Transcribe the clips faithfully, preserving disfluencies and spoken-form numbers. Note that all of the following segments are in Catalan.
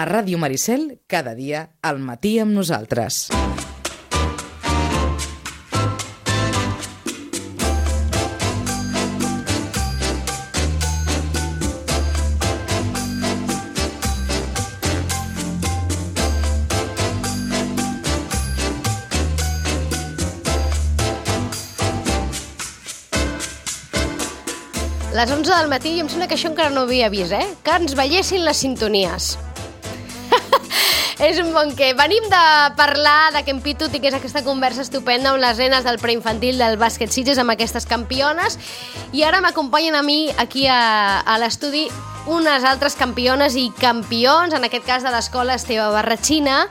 A Ràdio Maricel, cada dia, al matí amb nosaltres. Les onze del matí, i em sembla que això encara no ho havia vist, eh? Que ens veiessin les sintonies. És un bon què. Venim de parlar de Ken Pitu i que és aquesta conversa estupenda amb les nenes del preinfantil del bàsquet Sitges, amb aquestes campiones, i ara m'acompanyen a mi aquí a, a l'estudi unes altres campiones i campions, en aquest cas de l'escola Esteve Barratxina,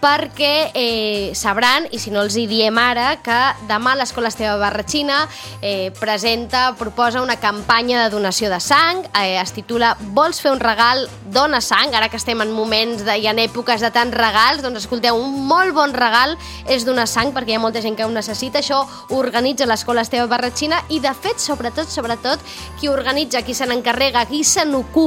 perquè eh, sabran, i si no els hi diem ara, que demà l'escola Esteve Barratxina eh, presenta, proposa una campanya de donació de sang, eh, es titula Vols fer un regal? Dona sang. Ara que estem en moments de, i en èpoques de tants regals, doncs escolteu, un molt bon regal és donar sang, perquè hi ha molta gent que ho necessita. Això ho organitza l'escola Esteve Barratxina i, de fet, sobretot, sobretot, qui organitza, qui se n'encarrega, qui se n'ocupa,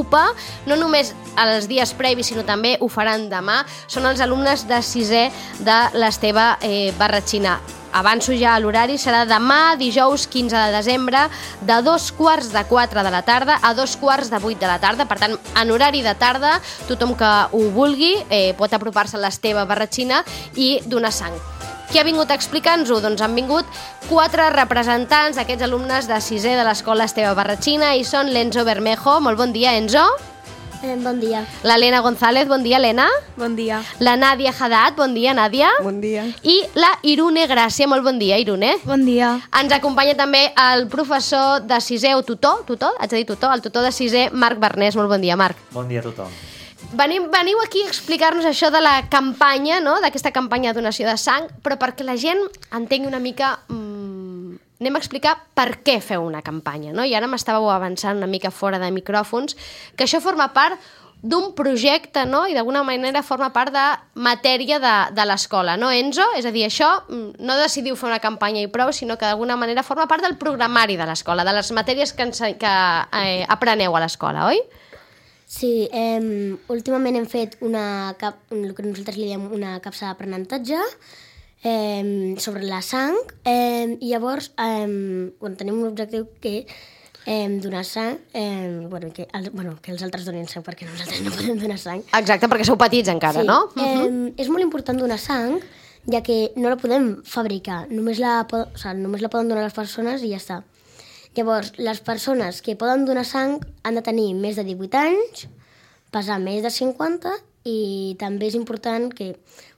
no només els dies previs, sinó també ho faran demà, són els alumnes de sisè de l'Esteve eh, Barratxina. Avanço ja a l'horari, serà demà, dijous quinze de desembre, de dos quarts de quatre de la tarda a dos quarts de vuit de la tarda. Per tant, en horari de tarda, tothom que ho vulgui eh, pot apropar-se a l'Esteve Barratxina i donar sang. Qui ha vingut a explicar-nos-ho? Doncs han vingut quatre representants d'aquests alumnes de sisè de l'escola Esteve Barratxina i són l'Enzo Bermejo. Molt bon dia, Enzo. Eh, bon dia. L'Helena González. Bon dia, Helena. Bon dia. La Nàdia Haddad. Bon dia, Nàdia. Bon dia. I la Irune Gràcia. Molt bon dia, Irune. Bon dia. Ens acompanya també el professor de sisè o tutor, tutor, haig de dir tutor, el tutor de sisè, Marc Barnés. Molt bon dia, Marc. Bon dia a tothom. Venim, veniu aquí a explicar-nos això de la campanya, no?, d'aquesta campanya de donació de sang, però perquè la gent entengui una mica... Mmm, anem a explicar per què feu una campanya, no? I ara m'estàveu avançant una mica fora de micròfons, que això forma part d'un projecte, no?, i d'alguna manera forma part de matèria de, de l'escola, no, Enzo? És a dir, això no decidiu fer una campanya i prou, sinó que d'alguna manera forma part del programari de l'escola, de les matèries que, ens, que eh, apreneu a l'escola, oi? Sí, eh, últimament hem fet una cap, el que nosaltres li diem una capsa d'aprenentatge eh, sobre la sang eh, i llavors eh, bueno, tenim un objectiu que eh, donar sang, eh, bueno, que, el, bueno, que els altres donin sang perquè nosaltres no podem donar sang. Exacte, perquè sou petits encara, sí. no? Eh, uh-huh. És molt important donar sang, ja que no la podem fabricar, només la, o sigui, només la poden donar les persones i ja està. Llavors, les persones que poden donar sang han de tenir més de divuit anys, pesar més de cinquanta i també és important que,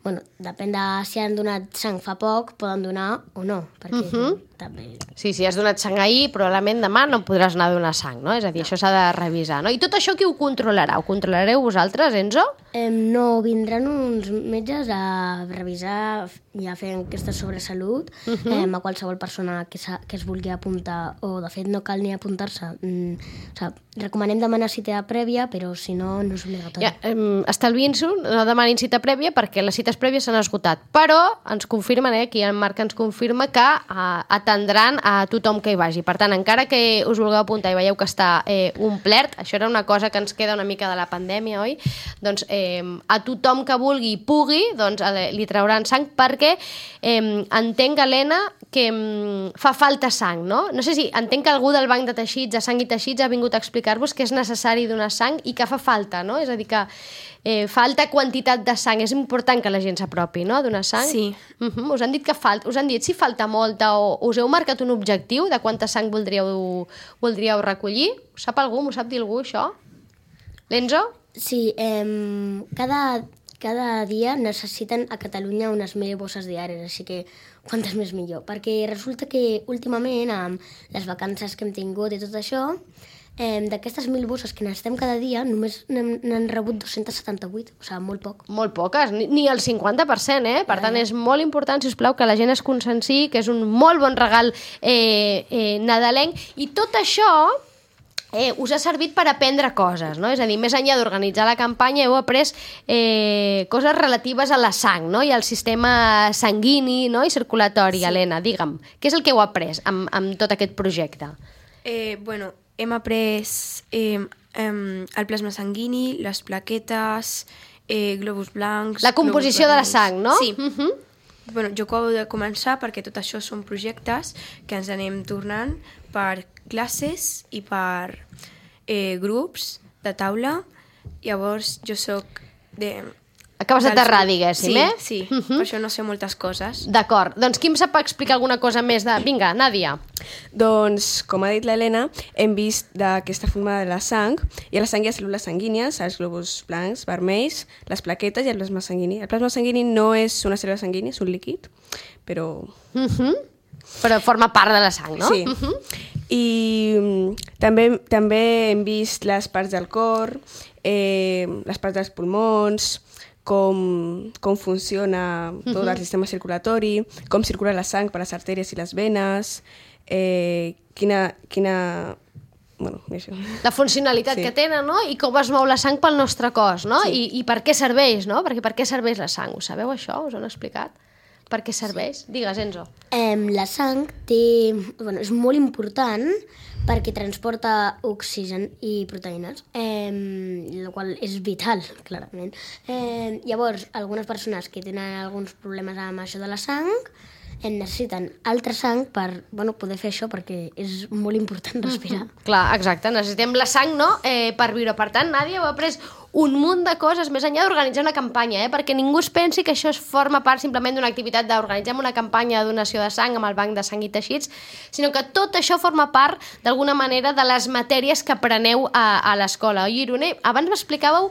bueno, depèn de si han donat sang fa poc, poden donar o no, perquè uh-huh. també... Sí, si has donat sang ahir, probablement demà no podràs anar a donar sang, no? És a dir, no. Això s'ha de revisar, no? I tot això qui ho controlarà? Ho controlareu vosaltres, Enzo? Eh, no, vindran uns metges a revisar i a fer enquestes sobre salut uh-huh. eh, a qualsevol persona que, que es vulgui apuntar, o de fet no cal ni apuntar-se. Mm, o sigui, recomanem demanar cita prèvia, però si no, no és obligatori. Ja, eh, estalviïn-s'ho, no demanin cita prèvia perquè les cites prèvies s'han esgotat, però ens confirmen, eh, aquí el Marc ens confirma que eh, atendran a tothom que hi vagi. Per tant, encara que us vulgueu apuntar i veieu que està eh, omplert, això era una cosa que ens queda una mica de la pandèmia, oi? Doncs eh, a tothom que vulgui i pugui, doncs eh, li trauran sang perquè eh, entenc, Helena, que eh, fa falta sang, no? No sé si entenc que algú del banc de teixits, de sang i teixits, ha vingut a explicar-vos que és necessari donar sang i que fa falta, no? És a dir, que eh, falta quantitat de sang. És important que la gent s'apropi, no?, a donar sang. Sí. Uh-huh. Us han dit que falta, us han dit si falta molta o us heu marcat un objectiu de quanta sang voldríeu, voldríeu recollir? Ho sap algú? M'ho sap dir algú, això? L'Enzo? Sí, eh, cada, cada dia necessiten a Catalunya unes mil bosses diàries, així que quantes més millor. Perquè resulta que últimament, amb les vacances que hem tingut i tot això, eh, d'aquestes mil bosses que necessitem cada dia, només n'han rebut dos-cents setanta-vuit, o sigui, molt poc. Molt poques, ni, ni el cinquanta per cent, eh? Per tant, és molt important, si us plau, que la gent es conscienciï, que és un molt bon regal eh, eh, nadalenc, i tot això eh, us ha servit per aprendre coses, no? És a dir, més enllà d'organitzar la campanya, heu après eh, coses relatives a la sang, no?, i al sistema sanguini, no?, i circulatori. Sí. Helena, digue'm, què és el que heu après amb, amb tot aquest projecte? Eh, bueno, hem après eh, eh, el plasma sanguini, les plaquetes, eh, globus blancs... La composició de la sang, no? Sí. Uh -huh. Bueno, jo acabo de començar perquè tot això són projectes que ens anem tornant per classes i per eh, grups de taula. Llavors, jo sóc de... Acabes d'aterrar, diguéssim, sí, eh? Sí, Uh sí, -huh. per això no sé moltes coses. D'acord. Doncs qui em sap explicar alguna cosa més de... Vinga, Nàdia. Doncs, com ha dit l'Helena, hem vist d'aquesta forma de la sang, i a la sang hi ha cèl·lules sanguínies, els globus blancs, vermells, les plaquetes i el plasma sanguini. El plasma sanguini no és una cèl·lula sanguínia, és un líquid, però... Uh -huh. Però forma part de la sang, no? Sí. Uh -huh. I mm, també, també hem vist les parts del cor, eh, les parts dels pulmons, com, com funciona tot uh-huh. el sistema circulatori, com circula la sang per les artèries i les venes, eh, quina... quina bueno, això. La funcionalitat Sí. que tenen, no? I com es mou la sang pel nostre cos, no? Sí. I, I per què serveix, no? Perquè per què serveix la sang? Ho sabeu, això? Us ho han explicat? Per què serveix? Sí. Digues, Enzo. Eh, la sang té, bueno, és molt important perquè transporta oxigen i proteïnes, eh, el qual és vital, clarament. Eh, llavors, algunes persones que tenen alguns problemes amb això de la sang eh, necessiten altra sang per bueno, poder fer això, perquè és molt important respirar. Clar, exacte. Necessitem la sang, no?, eh, per viure. Per tant, Nàdia heu après un munt de coses, més enllà d'organitzar una campanya, eh? Perquè ningú es pensi que això es forma part simplement d'una activitat d'organitzar una campanya de donació de sang amb el banc de sang i teixits, sinó que tot això forma part, d'alguna manera, de les matèries que apreneu a, a l'escola. Oi, Irune? Abans m'explicàveu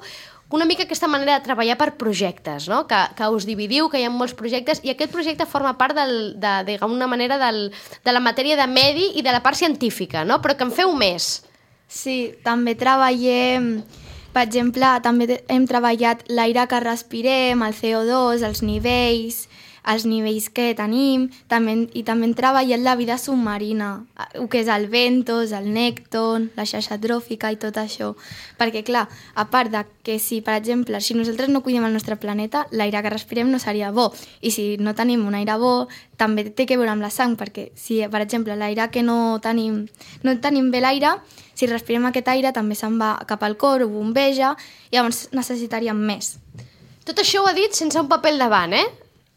una mica aquesta manera de treballar per projectes, no? Que, que us dividiu, que hi ha molts projectes, i aquest projecte forma part del, de, d'alguna manera del, de la matèria de medi i de la part científica, no? Però que en feu més. Sí, també treballem, per exemple, també hem treballat l'aire que respirem, el C O dos, els nivells, els nivells que tenim, també, i també hem treballat la vida submarina, el que és el ventos, el nècton, la xarxa tròfica i tot això. Perquè, clar, a part de que si, per exemple, si nosaltres no cuidem el nostre planeta, l'aire que respirem no seria bo. I si no tenim un aire bo, també té que veure amb la sang, perquè si, per exemple, l'aire que no tenim, no tenim bé l'aire, si respirem aquest aire també se'n va cap al cor, ho bombeja, i llavors necessitaríem més. Tot això ho ha dit sense un paper al davant, eh?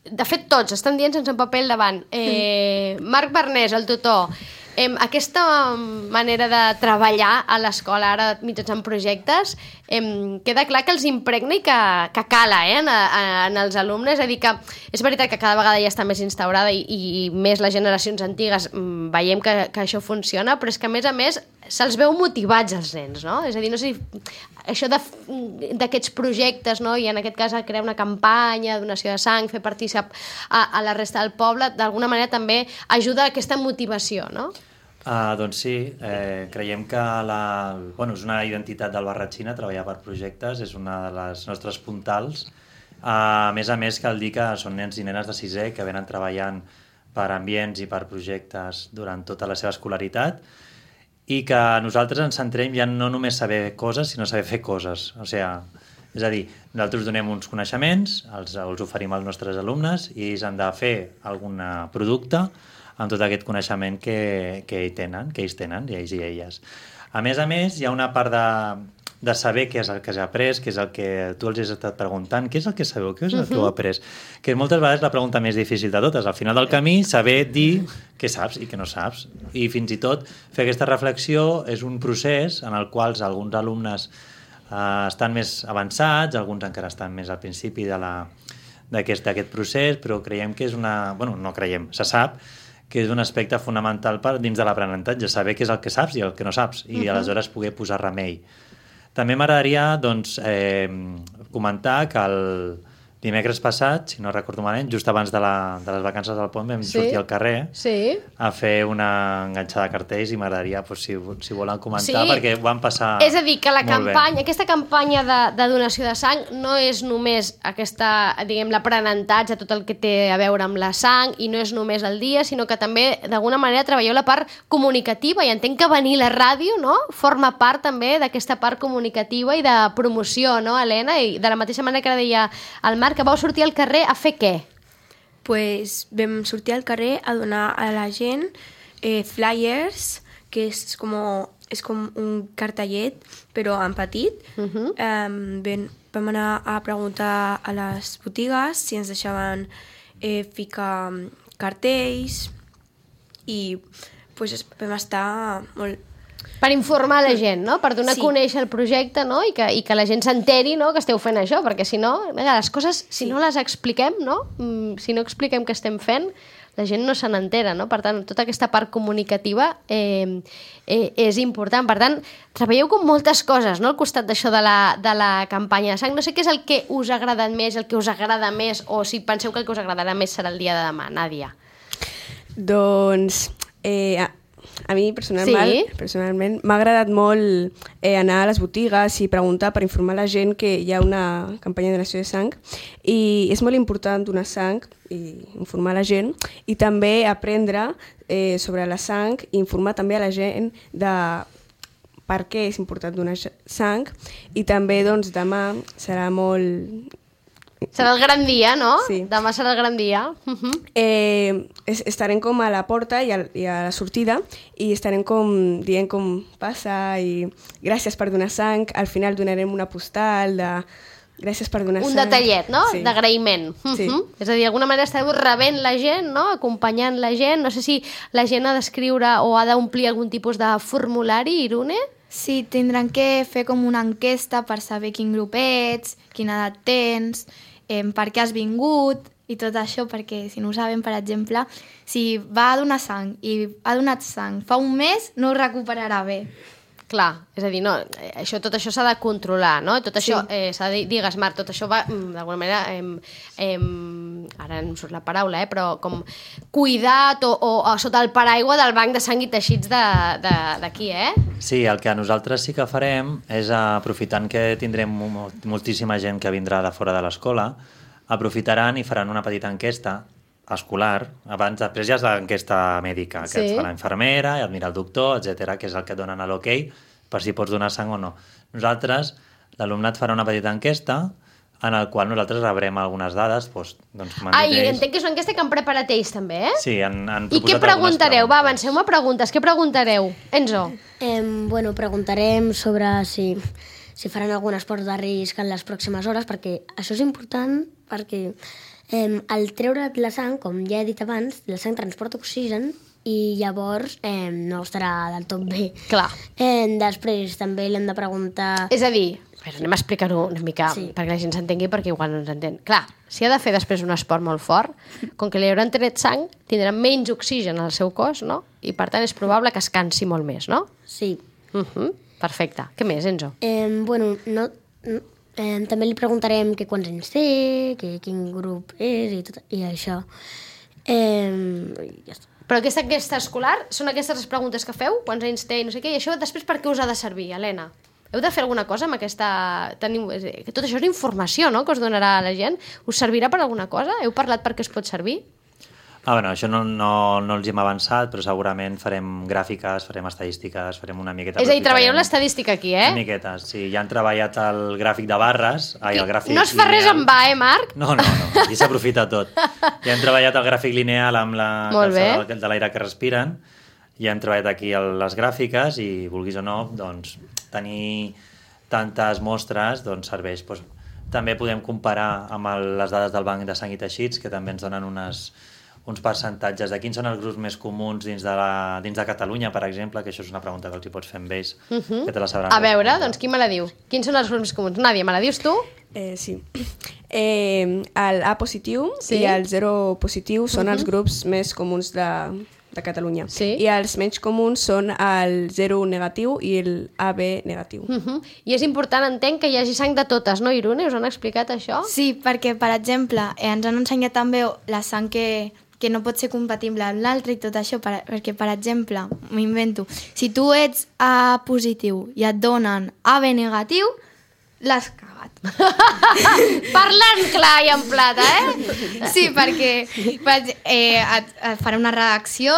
De fet, tots estan dient sense un paper al davant. Eh, Marc Barnés, el tutor, eh, aquesta manera de treballar a l'escola ara mitjançant projectes, eh, queda clar que els impregna i que, que cala eh, en, en els alumnes. És a dir, que és veritat que cada vegada ja està més instaurada i, i més les generacions antigues mm, veiem que, que això funciona, però és que a més a més se'ls veu motivats els nens, no? És a dir, no sé si això d'aquests projectes, no? I en aquest cas crear una campanya, donació de sang, fer partícip a, a la resta del poble, d'alguna manera també ajuda a aquesta motivació, no? Uh, doncs sí, eh, creiem que la, bueno, és una identitat del Barratxina treballar per projectes, és una de les nostres puntals. Uh, a més a més, cal dir que són nens i nenes de sisè que venen treballant per ambients i per projectes durant tota la seva escolaritat, i que nosaltres ens centrem ja no només saber coses, sinó saber fer coses. O sigui, és a dir, nosaltres donem uns coneixements, els, els oferim als nostres alumnes i ells han de fer algun producte amb tot aquest coneixement que, que, ells tenen, que ells tenen, i ells i elles. A més a més, hi ha una part de, de saber què és el que s'ha après, què és el que tu els has estat preguntant, què és el que sabeu, què és el que heu après, que és moltes vegades la pregunta més difícil de totes. Al final del camí, saber dir què saps i què no saps. I fins i tot fer aquesta reflexió és un procés en el qual alguns alumnes eh, estan més avançats, alguns encara estan més al principi de la, d'aquest, d'aquest procés, però creiem que és una... Bueno, no creiem, se sap que és un aspecte fonamental per dins de l'aprenentatge, saber què és el que saps i el que no saps, i uh-huh. aleshores poder posar remei. També m'agradaria doncs, eh, comentar que el dimecres passat, si no recordo malament, just abans de, la, de les vacances del pont vam sí. sortir al carrer sí. a fer una enganxada de cartells, i m'agradaria pues, si, si volen comentar, sí. perquè ho van passar molt bé. És a dir, que la campanya, aquesta campanya de, de donació de sang no és només aquesta, diguem, l'aprenentatge, tot el que té a veure amb la sang, i no és només el dia, sinó que també d'alguna manera treballeu la part comunicativa, i entenc que venir a la ràdio, no?, forma part també d'aquesta part comunicativa i de promoció, no, Helena? I de la mateixa manera que ara deia el Marc, que vau sortir al carrer a fer què? Pues vam sortir al carrer a donar a la gent eh, flyers, que és com, és com un cartellet, però en petit. Uh-huh. um, ben, vam anar a preguntar a les botigues si ens deixaven eh, ficar cartells i pues, vam estar molt... Per informar la gent, no? Per donar Sí. a conèixer el projecte, no? I que, i que la gent s'enteri, no?, que esteu fent això, perquè si no, les coses, si Sí. no les expliquem, no? Mm, Si no expliquem què estem fent, la gent no se n'entera, no? Per tant, tota aquesta part comunicativa eh, eh, és important. Per tant, treballeu com moltes coses, no?, al costat d'això de, la, de la campanya de sang. No sé què és el que us ha agradat més, el que us agrada més, o si penseu que el que us agradarà més serà el dia de demà, Nàdia. Doncs eh, a, a mi personalment, Sí? personalment m'ha agradat molt eh, anar a les botigues i preguntar per informar la gent que hi ha una campanya de donació de sang i és molt important donar sang i informar la gent i també aprendre eh, sobre la sang i informar també a la gent de per què és important donar sang i també doncs demà serà molt... Serà el gran dia, no? Sí. Demà serà el gran dia. Uh -huh. Eh, es, estarem com a la porta i a, i a la sortida i estarem com dient com passa i gràcies per donar sang. Al final donarem una postal de gràcies per donar Un sang. detallet, no? Sí. D'agraïment. Sí. Uh -huh. És a dir, d'alguna manera esteu rebent la gent, no? Acompanyant la gent. No sé si la gent ha d'escriure o ha d'omplir algun tipus de formulari, Irune? Sí, tindran que fer com una enquesta per saber quin grup ets, quina edat tens, eh, per què has vingut i tot això, perquè si no ho saben, per exemple, si va a donar sang i ha donat sang fa un mes, no ho recuperarà bé. Clar, és a dir, no, eh, això, tot això s'ha de controlar, no? Tot això, eh, s'ha de dir, digues, Marc, tot això va, mm, d'alguna manera, eh, eh, ara no em surt la paraula, eh, però com cuidat o, o, o sota el paraigua del banc de sang i teixits d'aquí, eh? Sí, el que nosaltres sí que farem és, aprofitant que tindrem mo- moltíssima gent que vindrà de fora de l'escola, aprofitaran i faran una petita enquesta escolar, abans, després ja és l'enquesta mèdica, que Sí. et fa la infermera, i et mira el doctor, etcètera, que és el que et donen a l'ok per si pots donar sang o no. Nosaltres, l'alumnat farà una petita enquesta en el qual nosaltres rebrem algunes dades, doncs, doncs Ah, i ells. entenc que és una enquesta que han preparat ells també, eh? Sí, han, han I què proposat algunes preguntareu? Va, preguntes. avanceu-me preguntes. Què preguntareu? Enzo? Eh, bueno, preguntarem sobre si, si faran algun esport de risc en les pròximes hores, perquè això és important, perquè eh, al treure la sang, com ja he dit abans, la sang transporta oxigen i llavors eh, no estarà del tot bé. Clar. Eh, després també l'hem de preguntar... És a dir, però anem a explicar-ho una mica Sí. perquè la gent s'entengui, perquè igual no ens entén. Clar, si ha de fer després un esport molt fort, com que li hauran tret sang, tindrà menys oxigen al seu cos, no? I per tant és probable que es cansi molt més, no? Sí. Uh -huh. Perfecte. Què més, Enzo? Eh, bueno, no, no, eh, també li preguntarem que quants anys té, que quin grup és i, tot, i això. Eh, i ja està. Però aquesta enquesta escolar, són aquestes les preguntes que feu? Quants anys té i no sé què? I això després per què us ha de servir, Helena? Heu de fer alguna cosa amb aquesta... Teniu... que tot això és informació, no?, que us donarà a la gent. Us servirà per alguna cosa? Heu parlat per què es pot servir? Ah, bueno, això no, no, no els hi hem avançat, però segurament farem gràfiques, farem estadístiques, farem una miqueta... És a dir, treballeu aprofitarem l'estadística aquí, eh? Una miqueta, sí. Ja han treballat el gràfic de barres, ai, el gràfic No es fa res lineal. en va, eh, Marc? No, no, no, aquí s'aprofita tot. Ja hem treballat el gràfic lineal amb la Molt bé. calçada de l'aire que respiren, ja hem treballat aquí el, les gràfiques i, vulguis o no, doncs, tenir tantes mostres doncs, serveix. Doncs, també podem comparar amb el, les dades del Banc de Sang i Teixits, que també ens donen unes, uns percentatges de quins són els grups més comuns dins de, la, dins de Catalunya, per exemple, que això és una pregunta que els hi pots fer amb ells, uh -huh. que te la sabran. A veure, respondre. doncs qui me la diu? Quins són els grups més comuns? Nàdia, me la dius tu? Eh, sí. Eh, el A positiu Sí. i el zero positiu són els grups més comuns de, de Catalunya. Sí. I els menys comuns són el zero negatiu i el A B negatiu. Uh -huh. I és important, entenc, que hi hagi sang de totes, no, Irune? Us han explicat això? Sí, perquè, per exemple, eh, ens han ensenyat també la sang que, que no pot ser compatible amb l'altra i tot això, per, perquè, per exemple, m'invento, si tu ets A positiu i et donen A B negatiu, l'has cagat. Parlant clar i en plata, eh? Sí, perquè per, eh, et, et farà una reacció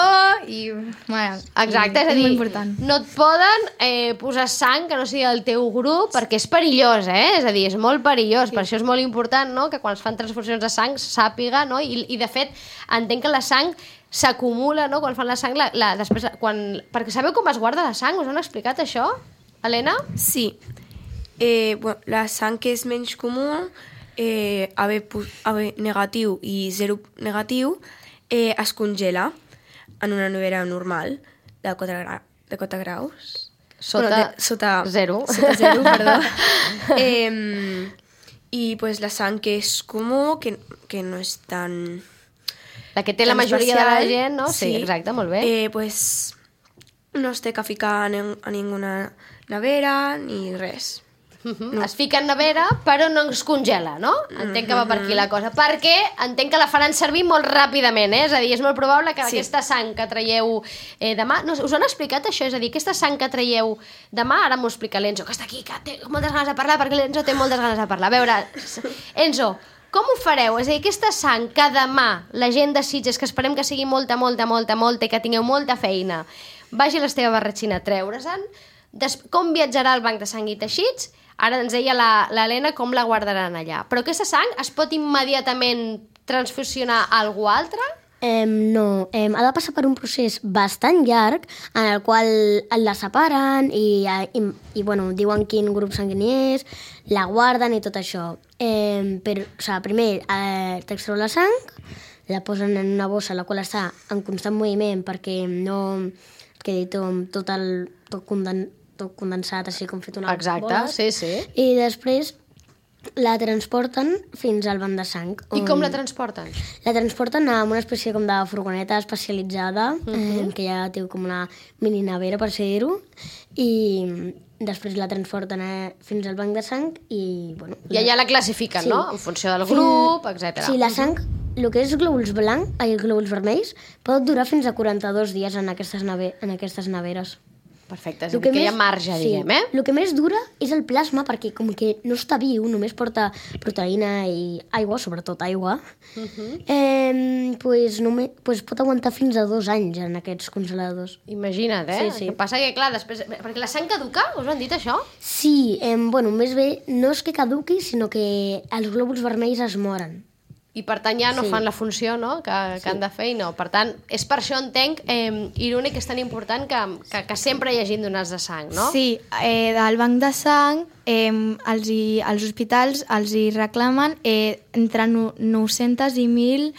i... Bueno, Exacte, és a és dir, molt important. no et poden eh, posar sang que no sigui del teu grup perquè és perillós, eh? És a dir, és molt perillós, sí. Per això és molt important, no?, que quan es fan transfusions de sang sàpiga, no?, i, i de fet entenc que la sang s'acumula, no?, quan fan la sang, la, la, després, quan... perquè sabeu com es guarda la sang? Us han explicat això, Helena? Sí. Eh, bueno, la sang que és menys comú, eh, A B, A B negatiu i zero negatiu, eh, es congela en una nevera normal de quatre, gra de quatre graus. Sota, bueno, de, sota zero. Sota zero, perdó. eh, I pues, la sang que és comú, que, que no és tan... La que té la majoria de la gent, no? Sí, sí, exacte, molt bé. Eh, pues, no es té que ficar en, a ninguna nevera ni res. Uh -huh. no. Es fica en nevera, però no es congela, no? Entenc que va per aquí la cosa. Perquè entenc que la faran servir molt ràpidament, eh? És a dir, és molt probable que sí. aquesta sang que traieu eh, demà... No, us han explicat això? És a dir, aquesta sang que traieu demà, ara m'ho explica l'Enzo, que està aquí, que té moltes ganes de parlar, perquè l'Enzo té moltes ganes de parlar. A veure, Enzo, com ho fareu? És a dir, aquesta sang que demà la gent de Sitges, que esperem que sigui molta, molta, molta, molta i que tingueu molta feina, vagi a l'Esteve Barratxina a treure-se'n, com viatjarà al banc de sang i teixits? Ara ens deia l'Helena com la guardaran allà. Però aquesta sang es pot immediatament transfusionar a algú altre? Eh, no, eh, ha de passar per un procés bastant llarg en el qual la separen i, i, i bueno, diuen quin grup sanguini és, la guarden i tot això. Eh, per, o sigui, primer eh, t'extreu la sang, la posen en una bossa la qual està en constant moviment perquè no quedi tot, tot, el, tot, conden, tot condensat, així com fet una Exacte, bola. sí, sí. I després la transporten fins al banc de sang. I com la transporten? La transporten a una espècie com de furgoneta especialitzada, uh -huh. eh, que ja té com una mini nevera, per ser dir-ho, i després la transporten a, fins al banc de sang i, bueno... I allà la classifiquen, sí. no? En funció del grup, etcètera. Sí, la sang, el que és glòbuls blancs, ai, glòbuls vermells, pot durar fins a quaranta-dos dies en aquestes, neve, en aquestes neveres. Perfecte, és a dir, que, que hi ha marge, sí, diguem, eh? El que més dura és el plasma, perquè com que no està viu, només porta proteïna i aigua, sobretot aigua, uh -huh. eh, pues, només, pues pot aguantar fins a dos anys en aquests congeladors. Imagina't, eh? Sí, sí. El que passa que, clar, després... Perquè la sang caduca, us ho han dit, això? Sí, eh, bueno, més bé, no és que caduqui, sinó que els glòbuls vermells es moren. I per tant ja no Sí. fan la funció, no?, que, que Sí. han de fer i no. Per tant, és per això entenc, eh, irònic, que és tan important que, que, que sempre hi hagin donats de sang, no? Sí, eh, del banc de sang eh, els, hi, els hospitals els hi reclamen eh, entre no, nou-centes i mil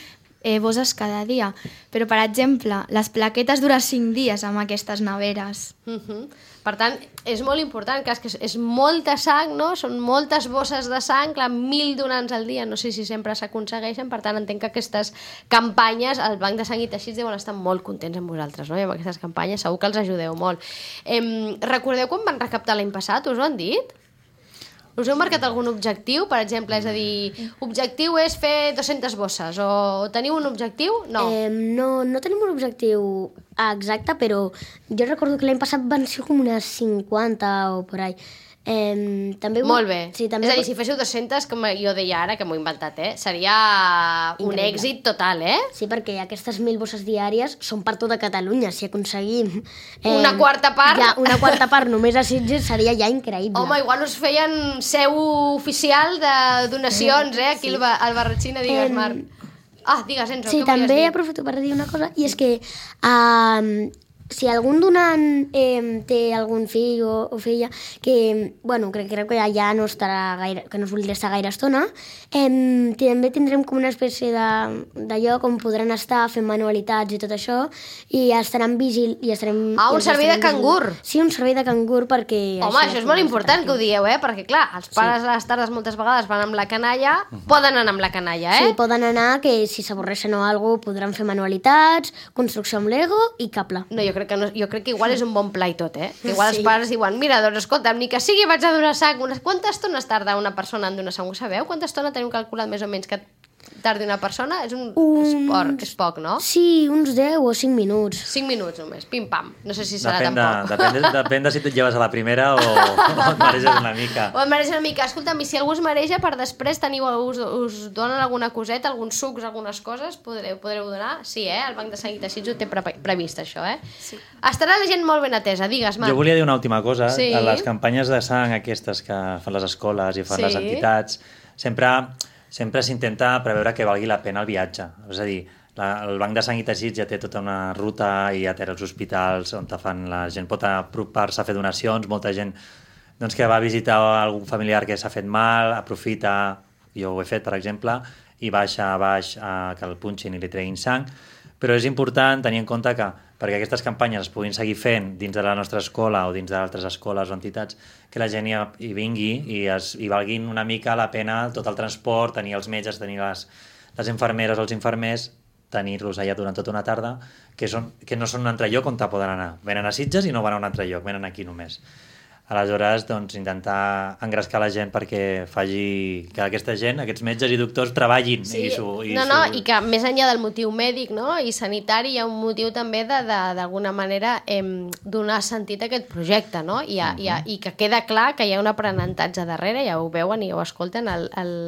eh, bosses cada dia. Però, per exemple, les plaquetes duren cinc dies amb aquestes neveres. Uh -huh. Per tant, és molt important, que és, que és molta sang, no? Són moltes bosses de sang, clar, mil donants al dia, no sé si sempre s'aconsegueixen, per tant, entenc que aquestes campanyes, el Banc de Sang i Teixits deuen estar molt contents amb vosaltres, no? I amb aquestes campanyes segur que els ajudeu molt. Eh, recordeu quan van recaptar l'any passat? Us ho han dit? Us heu marcat algun objectiu, per exemple? És a dir, objectiu és fer dues-centes bosses, o teniu un objectiu? No. Eh, no, no tenim un objectiu exacte, però jo recordo que l'any passat van ser com unes cinquanta o por ahí. Eh, també Molt bé. Sí, també... És a dir, si féssiu dues-centes, com jo deia ara, que m'ho he inventat, eh? Seria un Increïble. èxit total, eh? Sí, perquè aquestes mil bosses diàries són per tota Catalunya. Si aconseguim... Una quarta part. Ja, una quarta part només a Sitges seria ja increïble. Home, igual us feien seu oficial de donacions, eh? Aquí sí. al, Ba- al Barratxina, digues, Em, Marc. Ah, digues, Enzo, Sí, què volies també dir? aprofito per dir una cosa, i és que uh, si algun donant eh, té algun fill o, o filla que, bueno, crec, crec que ja no estarà gaire, que no es voldrà estar gaire estona, eh, també tindrem com una espècie de, de lloc on podran estar fent manualitats i tot això, i estaran vigil... I estarem, Ah, un i els servei de estarem cangur. vigilant. Sí, un servei de cangur perquè... Home, això és molt important que ho dieu, eh? Perquè, clar, els pares a les tardes moltes vegades van amb la canalla, poden anar amb la canalla, eh? Sí, poden anar, que si s'avorreixen o alguna cosa podran fer manualitats, construcció amb Lego i cable. No, jo crec que, no, jo crec que igual és un bon pla i tot, eh? Que igual Sí. els pares diuen, mira, doncs escolta'm, ni que sigui vaig a donar sang. Unes... Quanta estona es tarda una persona en donar sang? Ho sabeu? Quanta estona tenim calculat més o menys que tardi una persona? És un Un- esport, és poc, no? Sí, uns deu o cinc minuts. cinc minuts només, pim-pam. No sé si serà Depèn de, tampoc. depèn, de, depèn de si et lleves a la primera o, o et mareges una mica. O em mereix una mica. Escolta'm, i si algú es mareja, per després teniu, us, us donen alguna coseta, alguns sucs, algunes coses, podreu, podreu donar? Sí, eh? El Banc de Sang i Teixits ho té pre previst, això, eh? Sí. Estarà la gent molt ben atesa, digues, Marc. Jo volia dir una última cosa. Sí. A les campanyes de sang aquestes que fan les escoles i fan Sí. les entitats, sempre sempre s'intenta preveure que valgui la pena el viatge. És a dir, la, el Banc de Sang i Teixits ja té tota una ruta i ja té els hospitals on te fan, la gent pot apropar-se a fer donacions, molta gent doncs que va visitar algun familiar que s'ha fet mal, aprofita, jo ho he fet, per exemple, i baixa a baix a que el punxin i li treguin sang, però és important tenir en compte que perquè aquestes campanyes es puguin seguir fent dins de la nostra escola o dins d'altres escoles o entitats, que la gent hi, hi vingui i, es, i valguin una mica la pena tot el transport, tenir els metges, tenir les, les infermeres o els infermers, tenir-los allà durant tota una tarda, que, són, que no són un altre lloc on te poden anar. Venen a Sitges i no van a un altre lloc, venen aquí només. Aleshores, doncs, intentar engrescar la gent perquè faci que aquesta gent, aquests metges i doctors, treballin. Sí, i su, i no, no, su... i que més enllà del motiu mèdic, no?, i sanitari, hi ha un motiu també de, de, d'alguna manera em, donar sentit a aquest projecte, no? I, ha, uh -huh. i, ha, i que queda clar que hi ha un aprenentatge darrere, ja ho veuen i ho escolten,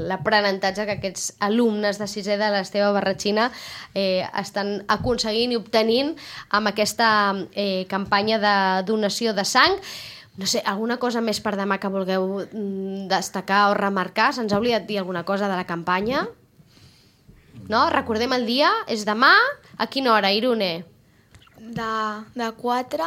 l'aprenentatge que aquests alumnes de sisè de l'Esteve Barratxina eh, estan aconseguint i obtenint amb aquesta eh, campanya de donació de sang. No sé, alguna cosa més per demà que vulgueu destacar o remarcar? Se'ns ha oblidat dir alguna cosa de la campanya? No? Recordem el dia, és demà. A quina hora, Irune? De, de quatre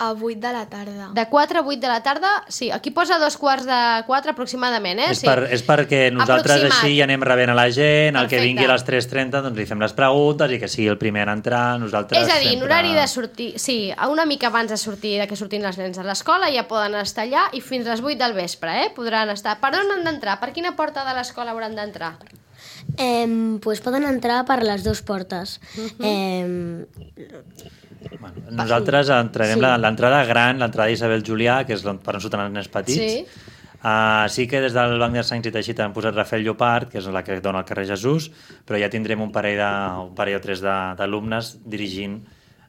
a vuit de la tarda. De quatre a vuit de la tarda? Sí, aquí posa dos quarts de quatre aproximadament, eh? És, Sí. per, és perquè nosaltres Aproximat. així ja anem rebent a la gent, el que Perfecte. vingui a les tres trenta doncs li fem les preguntes i que sigui el primer en entrar, nosaltres És a dir, en sempre... horari de sortir... Sí, una mica abans de sortir, de que sortin els nens a l'escola, ja poden estar allà i fins a les vuit del vespre, eh? Podran estar... Per on han d'entrar? Per quina porta de l'escola hauran d'entrar? Eh, pues poden entrar per les dues portes. Uh-huh. eh, Bueno, nosaltres entrarem Sí. sí. l'entrada gran, l'entrada d'Isabel Julià, que és on, per on surten els nens petits. Sí. Uh, sí que des del Banc de Sangs i Teixit han posat Rafael Llopart, que és la que dona al carrer Jesús, però ja tindrem un parell, de, un parell o tres de- d'alumnes dirigint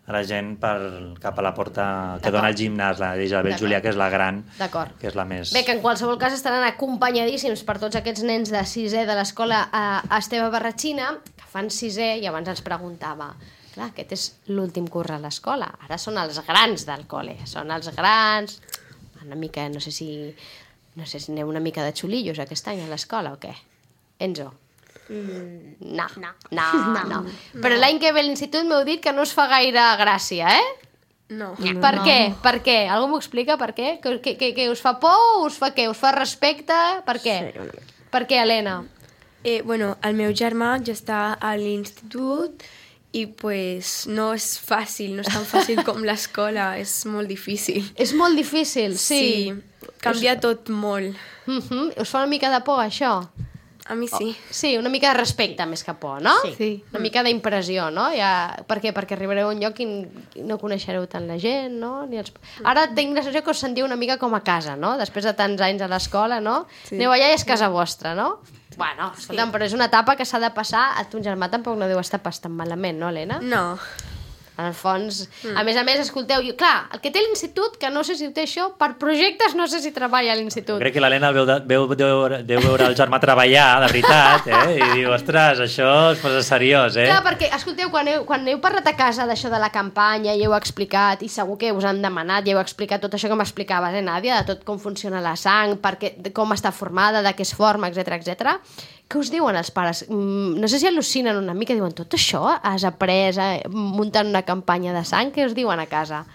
a la gent per, cap a la porta que D'acord. dona el gimnàs, la d'Isabel D'acord. Julià, que és la gran, D'acord. que és la més... Bé, que en qualsevol cas estaran acompanyadíssims per tots aquests nens de sisè de l'escola a Esteve Barratxina, que fan sisè, i abans ens preguntava, clar, aquest és l'últim curs a l'escola, ara són els grans del col·le, són els grans, una mica, no sé si, no sé si aneu una mica de xulillos aquest any a l'escola o què? Enzo? Mm, no, no, no, no. Però l'any que ve a l'institut m'heu dit que no us fa gaire gràcia, eh? No. Per què? Per què? Algú m'ho explica per què? Que, que, que, que us fa por o us fa què? Us fa respecte? Per què? Per què, Helena? Eh, bueno, el meu germà ja està a l'institut i pues, no és fàcil, no és tan fàcil com l'escola, és molt difícil. És molt difícil, sí. sí canvia tot molt. Uh -huh. Us fa una mica de por, això? A mi sí. Sí, una mica de respecte més que por, no? Sí. Una mica d'impressió, no? Ja... Per què? Perquè arribareu a un lloc i no coneixereu tant la gent, no? Ni els... Ara tinc la sensació que us sentiu una mica com a casa, no? Després de tants anys a l'escola, no? Sí. Aneu allà i és casa vostra, no? Bueno, escolta'm, sí. Però és una etapa que s'ha de passar. A ton germà tampoc no deu estar pas tan malament, no, Helena? No. En el fons, mm. a més a més, escolteu, jo, clar, el que té l'institut, que no sé si ho té això, per projectes no sé si treballa a l'institut. Crec que l'Helena veu, de, veu, deu, deu veure el germà treballar, de veritat, eh? I diu, ostres, això es posa seriós, eh? Clar, perquè, escolteu, quan heu, quan heu parlat a casa d'això de la campanya i heu explicat, i segur que us han demanat, i heu explicat tot això que m'explicaves, eh, Nàdia, de tot com funciona la sang, perquè, de com està formada, de què es forma, etcètera, etcètera. Què us diuen els pares? Mm, no sé si al·lucinen una mica, diuen, tot això has après eh, muntant una campanya de sang? Què us diuen a casa?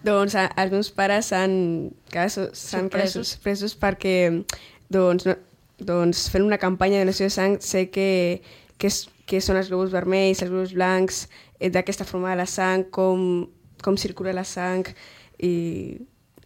Doncs a, els meus pares s'han quedat sorpresos. sorpresos perquè doncs, no, doncs fent una campanya de donació de sang sé que, que, és, que són els globus vermells, els globus blancs, eh, d'aquesta forma de la sang, com, com circula la sang i...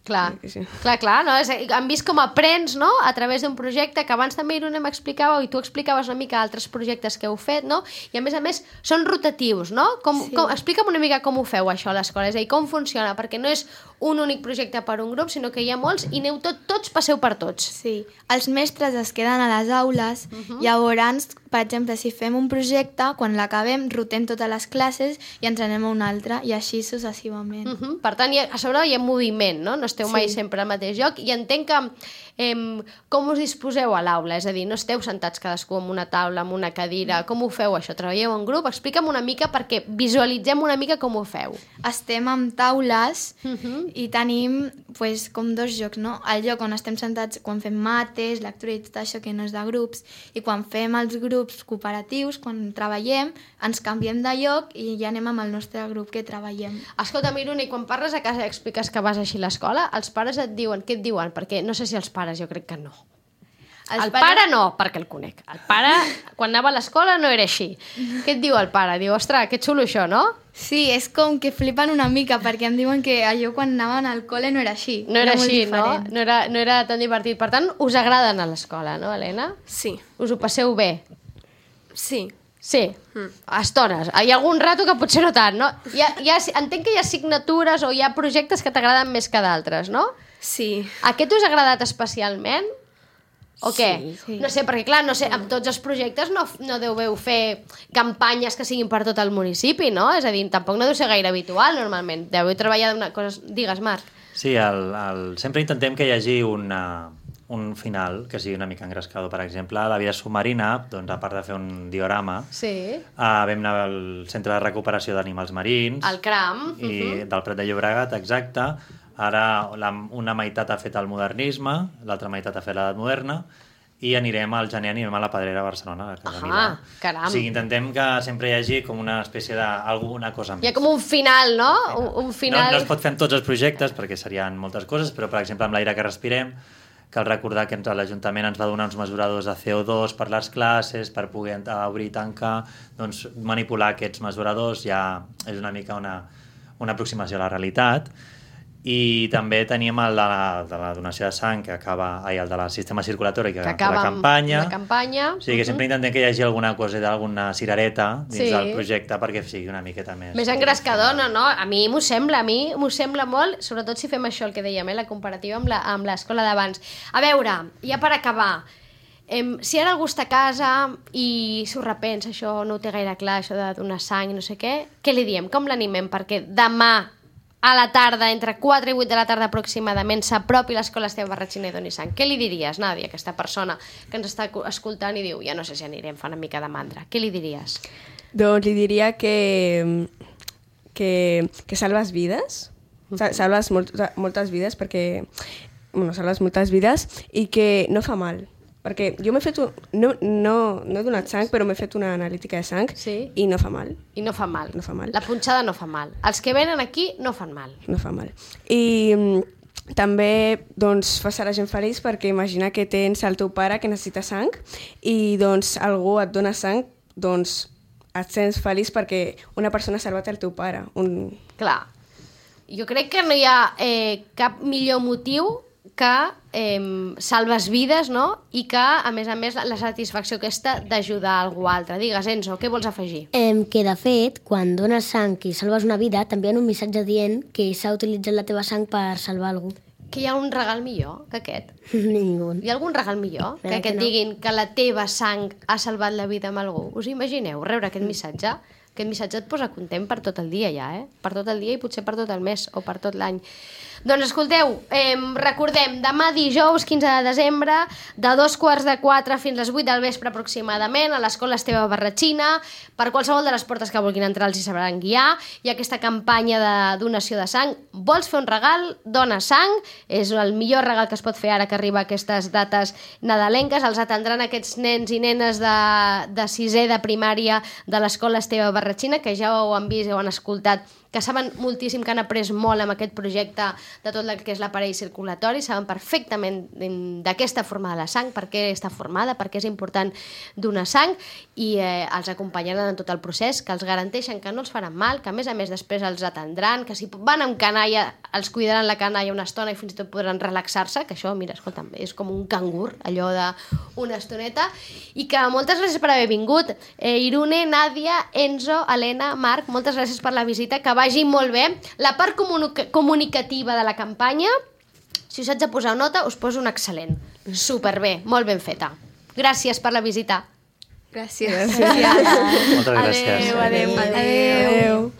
Clar, Sí, sí. clar, clar, no? És, han vist com aprens, no?, a través d'un projecte que abans també Irune m'explicava i tu explicaves una mica altres projectes que heu fet, no? I a més a més són rotatius, no? Com, Sí. com, explica'm una mica com ho feu això a l'escola, és a dir, com funciona, perquè no és un únic projecte per un grup, sinó que hi ha molts i aneu tot, tots passeu per tots. Sí, els mestres es queden a les aules, uh -huh. llavors, per exemple, si fem un projecte, quan l'acabem, rotem totes les classes i ens anem a un altre, i així successivament. Uh -huh. Per tant, hi ha, a sobre hi ha moviment, no? No esteu Sí. mai sempre al mateix lloc, i entenc que em, com us disposeu a l'aula? És a dir, no esteu sentats cadascú en una taula, en una cadira, com ho feu això? Treballeu en grup? Explica'm una mica perquè visualitzem una mica com ho feu. Estem amb taules Uh -huh. i tenim pues, com dos llocs, no? El lloc on estem sentats quan fem mates, lectura i tot això que no és de grups, i quan fem els grups cooperatius, quan treballem, ens canviem de lloc i ja anem amb el nostre grup que treballem. Escolta, Miruna, i quan parles a casa i expliques que vas així a l'escola, els pares et diuen, què et diuen? Perquè no sé si els pares, jo crec que no. Els El pares- pare no, perquè el conec. El pare, quan anava a l'escola, no era així. Què et diu el pare? Diu, ostres, que xulo això, no? Sí, és com que flipen una mica perquè em diuen que allò quan anaven al col·le no era així. No era molt així, no? diferent. No era, no era tan divertit. Per tant, us agrada anar a l'escola, no, Helena? Sí, Us ho passeu bé? sí. Sí, a estones. Hi ha algun rato que potser no tant, no? Hi ha, hi ha, entenc que hi ha assignatures o hi ha projectes que t'agraden més que d'altres, no? Sí. Aquest us ha agradat especialment? O què? sí. No sé, perquè clar, no sé, amb tots els projectes no, no deveu fer campanyes que siguin per tot el municipi, no? És a dir, tampoc no deu ser gaire habitual, normalment. Deveu treballar d'una cosa... Digues, Marc. Sí, el, el... sempre intentem que hi hagi una, un final que sigui una mica engrescador. Per exemple, a la vida submarina, doncs, a part de fer un diorama, Sí. uh, vam anar al Centre de Recuperació d'Animals Marins El CRAM. i uh-huh. del Prat de Llobregat, exacte. Ara la, una meitat ha fet el modernisme, l'altra meitat ha fet l'edat moderna, i anirem al gener, anirem a la Pedrera a Barcelona, a casa Ahà, meva. caram. O sigui, intentem que sempre hi hagi com una espècie d'alguna cosa més. Hi ha com un final, no? Un, un final... No, no es pot fer amb tots els projectes, perquè serien moltes coses, però, per exemple, amb l'aire que respirem, cal recordar que l'Ajuntament ens va donar uns mesuradors de C O dos per les classes, per poder obrir i tancar, doncs manipular aquests mesuradors ja és una mica una, una aproximació a la realitat. I també teníem el de la, de la donació de sang, que acaba, ai, el de la sistema circulatori, que, que acaba la campanya. La campanya. O sigui que sempre intentem que hi hagi alguna cosa, alguna cirereta dins Sí. del projecte perquè sigui una miqueta més... Més engrescador, no, no? A mi m'ho sembla, a mi m'ho sembla molt, sobretot si fem això, el que dèiem, eh, la comparativa amb la- amb l'escola d'abans. A veure, ja per acabar, em, si ara algú està a casa i s'ho repensa, això no ho té gaire clar, això de donar sang i no sé què, què li diem? Com l'animem? Perquè demà a la tarda, entre quatre i vuit de la tarda aproximadament, s'apropi l'escola Esteve Barratxina i doni sang. Què li diries, Nàdia, aquesta persona que ens està escoltant i diu, ja no sé si anirem, fa una mica de mandra. Què li diries? Doncs li diria que, que, que salves vides, Sa- salves molt, moltes vides perquè, bueno, salves moltes vides i que no fa mal. Perquè jo m'he fet, un, no, no, no he donat sang, però m'he fet una analítica de sang Sí. i no fa mal, I no fa mal. No fa mal. La punxada no fa mal. Els que venen aquí no fan mal. no fa mal. I mm, també doncs, fas a la gent feliç perquè imagina que tens el teu pare que necessita sang i doncs algú et dona sang, doncs et sents feliç perquè una persona ha salvat el teu pare. Un... Clar. Jo crec que no hi ha eh, cap millor motiu que eh, salves vides, no? I que, a més a més, la satisfacció aquesta d'ajudar a algú altre. Digues, Enzo, què vols afegir? Em, que, de fet, quan dones sang i salves una vida, també hi ha un missatge dient que s'ha utilitzat la teva sang per salvar algú. Que hi ha un regal millor que aquest. Ningú. Hi ha algun regal millor que, Mira que que et no. diguin que la teva sang ha salvat la vida amb algú? Us imagineu rebre aquest missatge? Aquest missatge et posa content per tot el dia ja, eh? Per tot el dia i potser per tot el mes o per tot l'any. Doncs escolteu, eh, recordem, demà dijous quinze de desembre, de dos quarts de quatre fins a les vuit del vespre aproximadament, a l'escola Esteve Barratxina, per qualsevol de les portes que vulguin entrar els hi sabran guiar. Hi ha aquesta campanya de donació de sang. Vols fer un regal? Dona sang. És el millor regal que es pot fer ara que arriba a aquestes dates nadalenques. Els atendran aquests nens i nenes de, de sisè de primària de l'escola Esteve Barratxina, que ja ho han vist i ho han escoltat, que saben moltíssim, que han après molt amb aquest projecte de tot el que és l'aparell circulatori, saben perfectament d'aquesta forma de la sang, per què està formada, per què és important donar sang, i eh, els acompanyaran en tot el procés, que els garanteixen que no els faran mal, que a més a més després els atendran, que si van amb canalla, els cuidaran la canalla una estona i fins i tot podran relaxar-se, que això, mira, escolta'm, és com un cangur, allò d'una estoneta, i que moltes gràcies per haver vingut. Eh, Irune, Nàdia, Enzo, Helena, Marc, moltes gràcies per la visita, que vagi molt bé. La part comunica comunicativa de la campanya, si us haig de posar nota, us poso un excel·lent. Superbé, molt ben feta. Gràcies per la visita. Gràcies. Moltes gràcies. Adéu, adéu, adéu. Adéu.